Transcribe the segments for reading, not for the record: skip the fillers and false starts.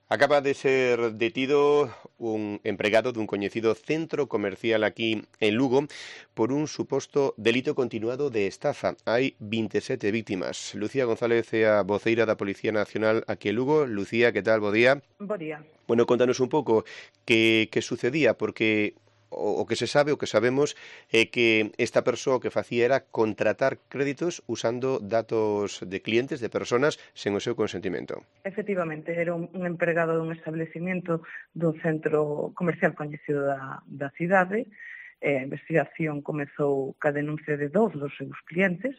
Acaba de ser detido un empregado dun coñecido centro comercial aquí en Lugo por un suposto delito continuado de estafa. Hai 27 víctimas. Lucía González é a voceira da Policía Nacional aquí en Lugo. Lucía, que tal? Bo día. Bo día. Bueno, contanos un pouco que sucedía, porque o que se sabe, o que sabemos, é que esta persoa que facía era contratar créditos usando datos de clientes, de personas, sen o seu consentimento. Efectivamente, era un empregado dun establecimento dun centro comercial coñecido da cidade. A investigación comezou ca denuncia de dous dos seus clientes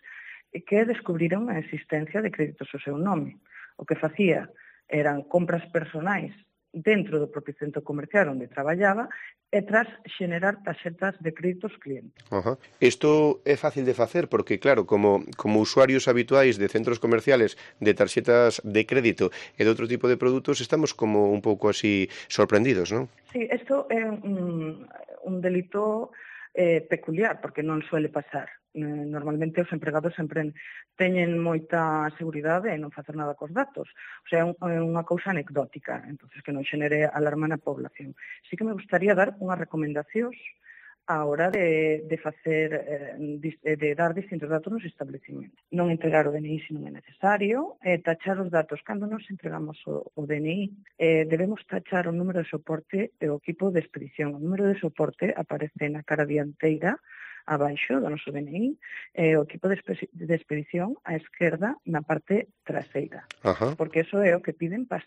que descubriron a existencia de créditos ao seu nome. O que facía eran compras personais dentro do propio centro comercial onde traballaba e tras xenerar tarxetas de créditos clientes. Isto é fácil de facer porque, claro, como usuarios habituais de centros comerciales de tarxetas de crédito e de outro tipo de produtos, estamos como un pouco así sorprendidos, non? Sí, isto é un delito peculiar, porque non suele pasar. Normalmente os empregados sempre teñen moita seguridade en non facer nada cos datos. O sea, é unha cousa anecdótica, entonces que non xenere alarma na población. Sí que me gustaría dar unhas recomendacións á hora de dar distintos datos nos establecimentos. Non entregar o DNI se non é necesario, tachar os datos. Cando nos entregamos o DNI, debemos tachar o número de soporte e o equipo de expedición. O número de soporte aparece na cara dianteira, abaixo do noso DNI, o equipo de expedición á esquerda na parte traseira. Porque eso é o que piden para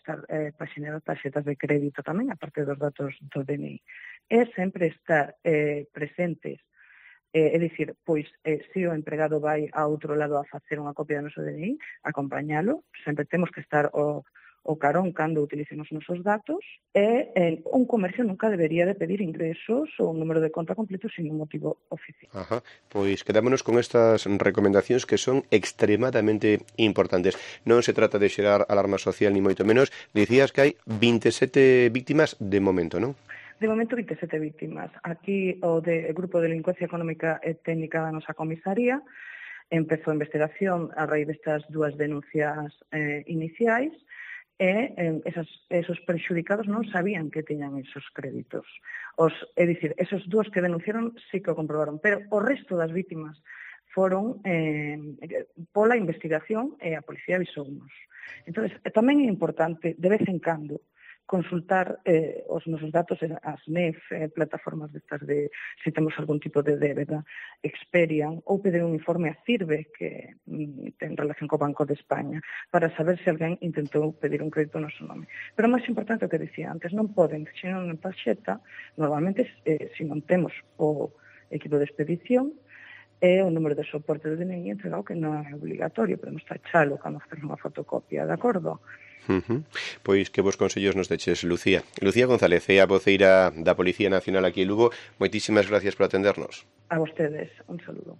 xenerar tarxetas de crédito tamén, aparte dos datos do DNI. É sempre estar presentes, é dicir, pois, se o empregado vai a outro lado a facer unha copia do noso DNI, acompañalo, sempre temos que estar o carón cando utilicemos os nosos datos, e un comercio nunca debería de pedir ingresos ou un número de conta completo sin un motivo oficial. Pois quedámonos con estas recomendacións que son extremadamente importantes. Non se trata de xerar alarma social ni moito menos. Dicías que hai 27 víctimas de momento, non? De momento, 27 víctimas. Aquí o Grupo de Delincuencia Económica e Técnica da nosa comisaría empezou a investigación a raíz destas dúas denuncias iniciais, e esos perxudicados non sabían que tiñan esos créditos. É dicir, esos dúas que denunciaron sí que o comprobaron, pero o resto das vítimas foron pola investigación e a policía avisounos. Entón, tamén é importante, de vez en cando, consultar os nosos datos as NEF, plataformas destas de se temos algún tipo de débeda, Experian, ou pedir un informe a CIRBE que ten relación co Banco de España, para saber se alguén intentou pedir un crédito no seu nome. Pero o máis importante o que dicía antes, non poden xerar unha tarxeta, normalmente se non temos o equipo de expedición, e o número de soporte do DNI entregado, que non é obligatorio, podemos tachalo cando facemos unha fotocopia, de acordo? Pois que vos consellos nos deches, Lucía. Lucía González é a voceira da Policía Nacional aquí en Lugo. Moitísimas gracias por atendernos. A vostedes, un saludo.